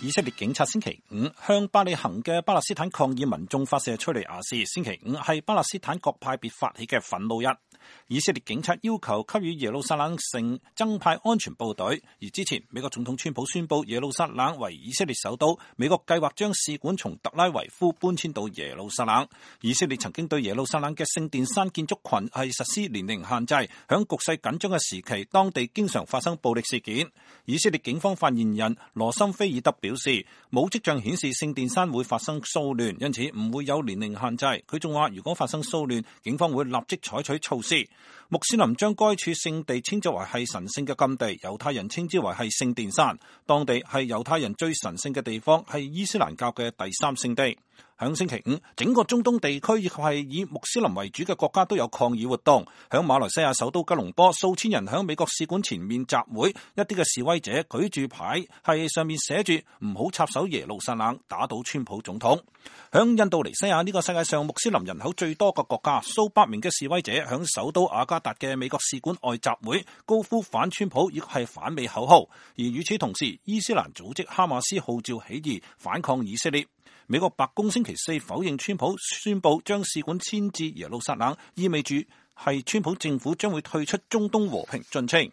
以色列警察星期五向伯利恆嘅巴勒斯坦抗議民眾發射催淚瓦斯。星期五係巴勒斯坦各派別發起嘅憤怒日。以色列警察要求給予耶路撒冷城增派安全部隊。而之前美國總統川普宣布耶路撒冷為以色列首都，美國計劃將使館從特拉維夫搬遷到耶路撒冷。以色列曾經對耶路撒冷嘅聖殿山建築群係實施年齡限制，響局勢緊張嘅時期，當地經常發生暴力事件。以色列警方發言人羅森菲爾德表示，冇跡象顯示聖殿山會發生騷亂，因此唔會有年齡限制。佢仲話，如果發生騷亂，警方會立即採取措施。穆斯林將該處聖地稱之為係神聖嘅禁地，猶太人稱之為係聖殿山。當地係猶太人最神聖嘅地方，係伊斯蘭教嘅第三聖地。響星期五，整個中東地區以及係以穆斯林為主嘅國家都有抗議活動。響馬來西亞首都吉隆坡，數千人響美國使館前面集會，一啲嘅示威者舉住牌，係上面寫住唔好插手耶路撒冷，打倒川普總統。響印度尼西亞呢個世界上穆斯林人口最多嘅國家，數百名嘅示威者響首都雅加達嘅美國使館外集會，高呼反川普亦係反美口號。而與此同時，伊斯蘭組織哈馬斯號召起義反抗以色列。美國白宮星期四否認川普宣布將使館遷至耶路撒冷，意味住係川普政府將會退出中東和平進程。